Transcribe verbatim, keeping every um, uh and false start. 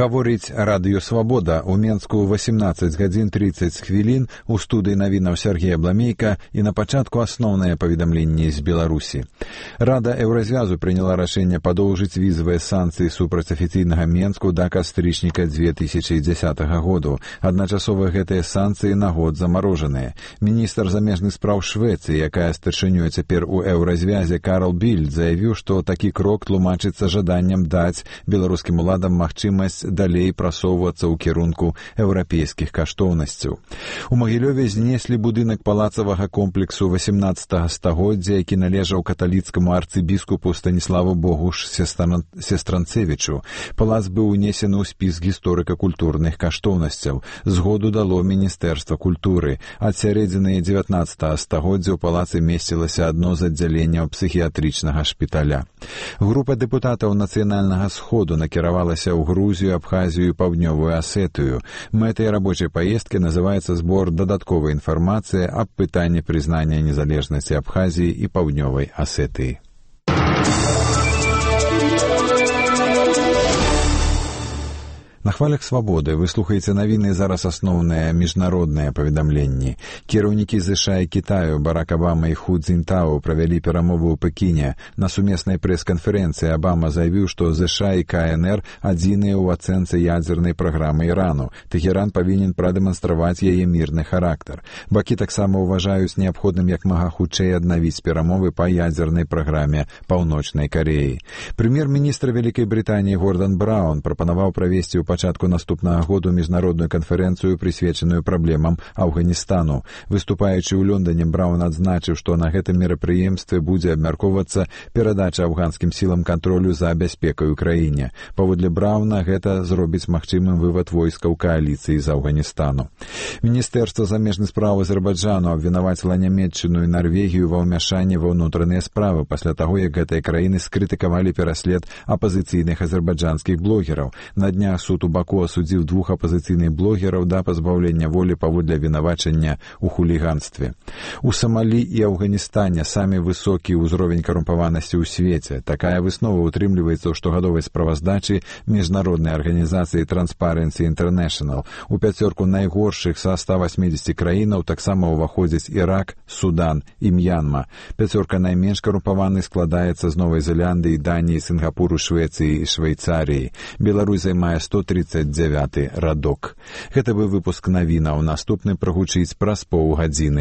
Гаворыць радыё «Свабода». У Менску восемнадцать гадзін тридцать хвілін, у студыі навінаў Сергей Абламейка і на пачатку асноўныя паведамленні з Беларусі. Рада Еўразвязу прыняла рашэнне падоўжыць візавыя санкцыі супраць афіцыйнага Менску да кастрычніка две тысячи дзесятага году. Адначасова гэтыя санкцыі на год замарожаныя. Міністр замежных спраў Швецыі, якая старшынёй цяпер у Еўразвязе, Карл Більд, заявіў, што такі крок тлумачыцца жаданнем даць беларускім уладам магчымасць далей прасоўвацца ў кірунку еўрапейскіх каштоўнасцяў. У Магілёве знеслі будынак палацавага комплексу восемнадцатага стагоддзя, які належаў каталіцкаму арцыбіскупу Станіславу Богуш Сестранцевічу. Палац быў унесены ў спіс гісторыка-культурных каштоўнасцяў. Згоду дало Міністэрства культуры. Ад сярэдзіны дзевятнаццатага стагоддзя ў палацы месцілася адно з аддзяленняў псіхіятрычнага шпіталя. Група дэпутатаў Нацыянальнага сходу накіравалася ў Грузію, Абхазію і Паўднёвую Асетыю. Мэтай рабочай паездкі называецца збор дадатковай інфармацыі аб пытанні прызнання незалежнасці Абхазіі і Паўднёвай Асетыі. На хвалях «Свабоды» вы слухаеце навіны, зараз асноўныя міжнародныя паведамленні. Кіраўнікі ЗША і Кітаю Барак Абама і Ху Цзіньтао правялі перамовы ў Пекіне. На сумеснай прэс-канферэнцыі Абама заявіў, што ЗША і КНР адзіныя ў ацэнцы ядзернай праграмы Ірану. Тэхеран павінен прадэманстраваць яе мірны характар. Бакі таксама ўважаюць неабходным як мага хутчэй аднавіць перамовы па ядзернай праграме Паўночнай Кареі. Прэм'ер-міністр Вялікай Брытаніі Гордан Браўн прапанаваў правесці ў пачатку наступнага году міжнародную канферэнцыю, прысвечаную праблемам Афганістану. Выступаючы ў Лондоне, Браўн адзначыў, што на гэтым мерапрыемстве будзе абмяркоўвацца перадача афганскім сілам кантролю за бяспекай у краіне. Паводле Браўна, гэта зробіць магчымым вывад войскаў кааліцыі з Афганістану. Міністэрства замежных спраў Азербайджану абвінаваціла Нямецчыну і Нарвегію ва ўмяшанні ва ўнутраныя справы пасля таго, як гэтыя краіны скрытыкавалі пераслед апазіцыйных азербайджанскіх блогераў. На днях суд у Баку асудзіў двух апазіцыйных блогераў да пазбаўлення волі паводле вінавачання ў хуліганстве. У Самалі і Афганістане самі высокі ўзровень карумпаванасці ў свеце. Такая выснова ўтрымліваецца ў штогадовай справаздачы міжнароднай арганізацыі Transparency International. У пяцёрку найгоршых са ста васьмідзесяці краінаў таксама ўваходзяць Ірак, Судан і М'янма. Пяцёрка найменш карумпаваных складаецца з Новай Зеландыі, Даніі, Сінгапуру, Швецыі і Швейцарыі. Беларусь займае сто тридцать девяты радок. Гэта быў выпуск навінаў. Наступны прагучыць праз паўгадзіны.